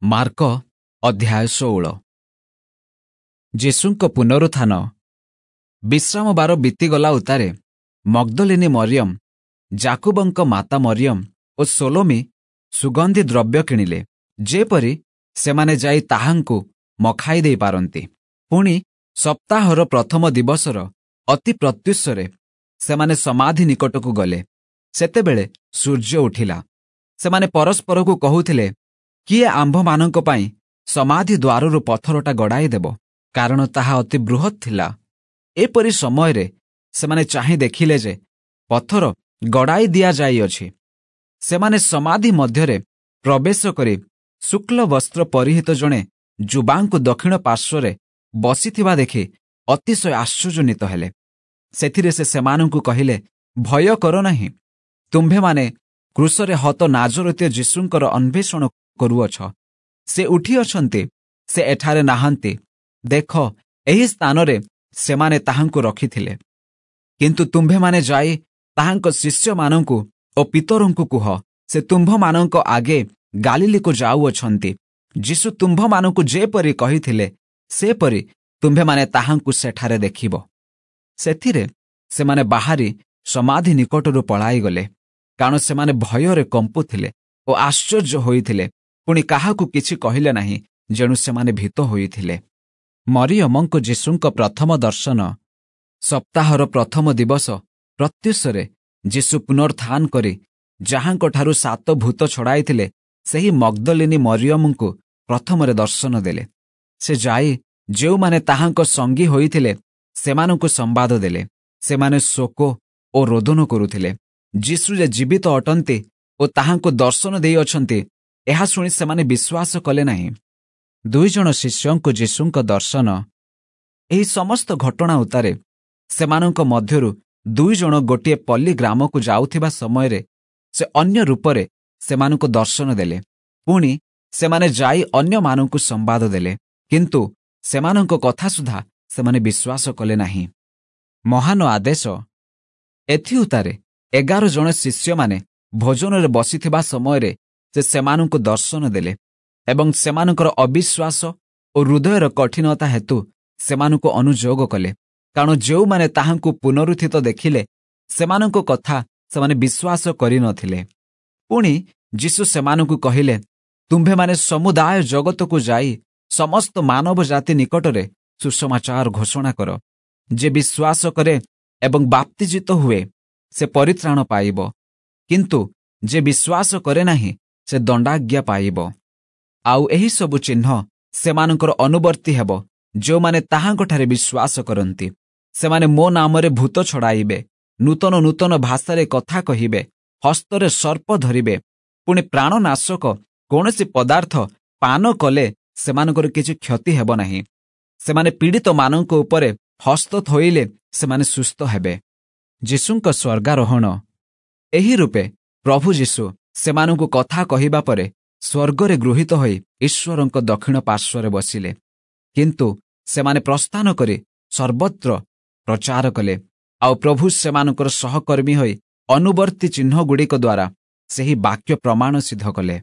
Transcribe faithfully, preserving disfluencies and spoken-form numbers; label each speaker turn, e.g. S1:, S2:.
S1: Mark ଅଧ୍ୟାୟ ଷୋହଳ। ଯୀଶୁଙ୍କ ପୁନରୁତ୍ଥାନ। ବିଶ୍ରାମବାର ବିତିଗଲା ଉତ୍ତାରେ ମଗ୍ଦଲିନୀ ମରିୟମ, ଯାକୁବଙ୍କ ମାତା ମରିୟମ ଓ ସୋଲୋମି ସୁଗନ୍ଧି ଦ୍ରବ୍ୟ କିଣିଲେ, ଯେପରି ସେମାନେ ଯାଇ ତାହାଙ୍କୁ ମଖାଇ ଦେଇପାରନ୍ତି। ପୁଣି ସପ୍ତାହର ପ୍ରଥମ ଦିବସର ଅତି ପ୍ରତ୍ୟୁଷରେ ସେମାନେ ସମାଧି ନିକଟକୁ ଗଲେ। ସେତେବେଳେ ସୂର୍ଯ୍ୟ ଉଠିଲା। ସେମାନେ ପରସ୍ପରକୁ କହୁଥିଲେ, କିଏ ଆମ୍ଭମାନଙ୍କ ପାଇଁ ସମାଧି ଦ୍ୱାରରୁ ପଥରଟା ଗଡ଼ାଇ ଦେବ? କାରଣ ତାହା ଅତି ବୃହତ୍ ଥିଲା। ଏପରି ସମୟରେ ସେମାନେ ଚାହିଁ ଦେଖିଲେ ଯେ ପଥର ଗଡ଼ାଇ ଦିଆଯାଇଅଛି। ସେମାନେ ସମାଧି ମଧ୍ୟରେ ପ୍ରବେଶ କରି ଶୁକ୍ଲ ବସ୍ତ୍ର ପରିହିତ ଜଣେ ଯୁବାଙ୍କୁ ଦକ୍ଷିଣ ପାର୍ଶ୍ୱରେ ବସିଥିବା ଦେଖି ଅତିଶୟ ଆଶ୍ଚର୍ଯ୍ୟାନ୍ୱିତ ହେଲେ। ସେଥିରେ ସେ ସେମାନଙ୍କୁ କହିଲେ, ଭୟ କର ନାହିଁ। ତୁମ୍ଭେମାନେ କ୍ରୁଶରେ ହତ ନାଜରତୀୟ ଯୀଶୁଙ୍କର ଅନ୍ୱେଷଣ କରୁଅଛ। ସେ ଉଠିଅଛନ୍ତି, ସେ ଏଠାରେ ନାହାନ୍ତି। ଦେଖ, ଏହି ସ୍ଥାନରେ ସେମାନେ ତାହାଙ୍କୁ ରଖିଥିଲେ। କିନ୍ତୁ ତୁମ୍ଭେମାନେ ଯାଇ ତାହାଙ୍କ ଶିଷ୍ୟମାନଙ୍କୁ ଓ ପିତରଙ୍କୁ କୁହ, ସେ ତୁମ୍ଭମାନଙ୍କ ଆଗେ ଗାଲିଲିକୁ ଯାଉଅଛନ୍ତି। ଯୀଶୁ ତୁମ୍ଭମାନଙ୍କୁ ଯେପରି କହିଥିଲେ, ସେପରି ତୁମ୍ଭେମାନେ ତାହାଙ୍କୁ ସେଠାରେ ଦେଖିବ। ସେଥିରେ ସେମାନେ ବାହାରି ସମାଧି ନିକଟରୁ ପଳାଇଗଲେ, କାରଣ ସେମାନେ ଭୟରେ କମ୍ପୁଥିଲେ ଓ ଆଶ୍ଚର୍ଯ୍ୟ ହୋଇଥିଲେ। ପୁଣି କାହାକୁ କିଛି କହିଲେ ନାହିଁ, ଯେଣୁ ସେମାନେ ଭୀତ ହୋଇଥିଲେ। ମରିୟମଙ୍କୁ ଯୀଶୁଙ୍କ ପ୍ରଥମ ଦର୍ଶନ। ସପ୍ତାହର ପ୍ରଥମ ଦିବସ ପ୍ରତ୍ୟୁଷରେ ଯୀଶୁ ପୁନରୁତ୍ଥାନ କରି ଯାହାଙ୍କଠାରୁ ସାତ ଭୂତ ଛଡ଼ାଇଥିଲେ, ସେହି ମଗ୍ଦଲିନୀ ମରିୟମଙ୍କୁ ପ୍ରଥମରେ ଦର୍ଶନ ଦେଲେ। ସେ ଯାଇ ଯେଉଁମାନେ ତାହାଙ୍କ ସଙ୍ଗୀ ହୋଇଥିଲେ, ସେମାନଙ୍କୁ ସମ୍ବାଦ ଦେଲେ। ସେମାନେ ଶୋକ ଓ ରୋଦନ କରୁଥିଲେ। ଯୀଶୁ ଯେ ଜୀବିତ ଅଟନ୍ତି ଓ ତାହାଙ୍କୁ ଦର୍ଶନ ଦେଇଅଛନ୍ତି, ଏହା ଶୁଣି ସେମାନେ ବିଶ୍ୱାସ କଲେ ନାହିଁ। ଦୁଇ ଜଣ ଶିଷ୍ୟଙ୍କୁ ଯୀଶୁଙ୍କ ଦର୍ଶନ। ଏହି ସମସ୍ତ ଘଟଣା ଉତ୍ତାରେ ସେମାନଙ୍କ ମଧ୍ୟରୁ ଦୁଇ ଜଣ ଗୋଟିଏ ପଲ୍ଲୀ ଗ୍ରାମକୁ ଯାଉଥିବା ସମୟରେ ସେ ଅନ୍ୟ ରୂପରେ ସେମାନଙ୍କୁ ଦର୍ଶନ ଦେଲେ। ପୁଣି ସେମାନେ ଯାଇ ଅନ୍ୟମାନଙ୍କୁ ସମ୍ବାଦ ଦେଲେ, କିନ୍ତୁ ସେମାନଙ୍କ କଥା ସୁଦ୍ଧା ସେମାନେ ବିଶ୍ୱାସ କଲେ ନାହିଁ। ମହାନ ଆଦେଶ। ଏଥିଉତ୍ତାରେ ଏଗାର ଜଣ ଶିଷ୍ୟମାନେ ଭୋଜନରେ ବସିଥିବା ସମୟରେ ସେ ସେମାନଙ୍କୁ ଦର୍ଶନ ଦେଲେ ଏବଂ ସେମାନଙ୍କର ଅବିଶ୍ୱାସ ଓ ହୃଦୟର କଠିନତା ହେତୁ ସେମାନଙ୍କୁ ଅନୁଯୋଗ କଲେ, କାରଣ ଯେଉଁମାନେ ତାହାଙ୍କୁ ପୁନରୁତ୍ଥିତ ଦେଖିଲେ, ସେମାନଙ୍କ କଥା ସେମାନେ ବିଶ୍ୱାସ କରିନଥିଲେ। ପୁଣି ଯୀଶୁ ସେମାନଙ୍କୁ କହିଲେ, ତୁମ୍ଭେମାନେ ସମୁଦାୟ ଜଗତକୁ ଯାଇ ସମସ୍ତ ମାନବ ଜାତି ନିକଟରେ ସୁସମାଚାର ଘୋଷଣା କର। ଯେ ବିଶ୍ୱାସ କରେ ଏବଂ ବାପ୍ତିଜିତ ହୁଏ, ସେ ପରିତ୍ରାଣ ପାଇବ, କିନ୍ତୁ ଯେ ବିଶ୍ୱାସ କରେ ନାହିଁ, ସେ ଦଣ୍ଡାଜ୍ଞା ପାଇବ। ଆଉ ଏହିସବୁ ଚିହ୍ନ ସେମାନଙ୍କର ଅନୁବର୍ତ୍ତୀ ହେବ, ଯେଉଁମାନେ ତାହାଙ୍କଠାରେ ବିଶ୍ୱାସ କରନ୍ତି। ସେମାନେ ମୋ ନାମରେ ଭୂତ ଛଡ଼ାଇବେ, ନୂତନ ନୂତନ ଭାଷାରେ କଥା କହିବେ, ହସ୍ତରେ ସର୍ପ ଧରିବେ, ପୁଣି ପ୍ରାଣନାଶକ କୌଣସି ପଦାର୍ଥ ପାନ କଲେ ସେମାନଙ୍କର କିଛି କ୍ଷତି ହେବ ନାହିଁ। ସେମାନେ ପୀଡ଼ିତମାନଙ୍କ ଉପରେ ହସ୍ତ ଥୋଇଲେ ସେମାନେ ସୁସ୍ଥ ହେବେ। ଯୀଶୁଙ୍କ ସ୍ୱର୍ଗାରୋହଣ। ଏହି ରୂପେ ପ୍ରଭୁ ଯୀଶୁ ସେମାନଙ୍କୁ କଥା କହିବା ପରେ ସ୍ୱର୍ଗରେ ଗୃହୀତ ହୋଇ ଈଶ୍ୱରଙ୍କ ଦକ୍ଷିଣ ପାର୍ଶ୍ୱରେ ବସିଲେ। କିନ୍ତୁ ସେମାନେ ପ୍ରସ୍ଥାନ କରି ସର୍ବତ୍ର ପ୍ରଚାର କଲେ, ଆଉ ପ୍ରଭୁ ସେମାନଙ୍କର ସହକର୍ମୀ ହୋଇ ଅନୁବର୍ତ୍ତୀ ଚିହ୍ନଗୁଡ଼ିକ ଦ୍ୱାରା ସେହି ବାକ୍ୟ ପ୍ରମାଣ ସିଦ୍ଧ କଲେ।